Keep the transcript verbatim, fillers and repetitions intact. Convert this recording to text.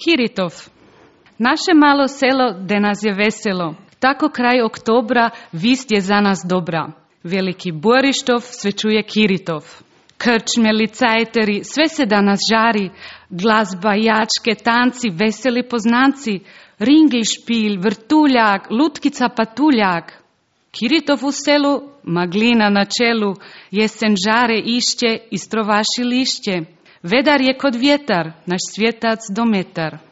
Kiritov. Naše malo selo, de nas je veselo. Tako kraj oktobra vist je za nas dobra. Veliki Borištov sve čuje Kiritov. Krčme, licajteri, sve se danas žari. Glazba, jačke, tanci, veseli poznanci. Ringl, špil, vrtuljak, lutkica, patuljak. Kiritov u selu, maglina na čelu. Jesen žare išće, istrovaši lišće. Vedar je kod vjetar, naš svjetac dometar.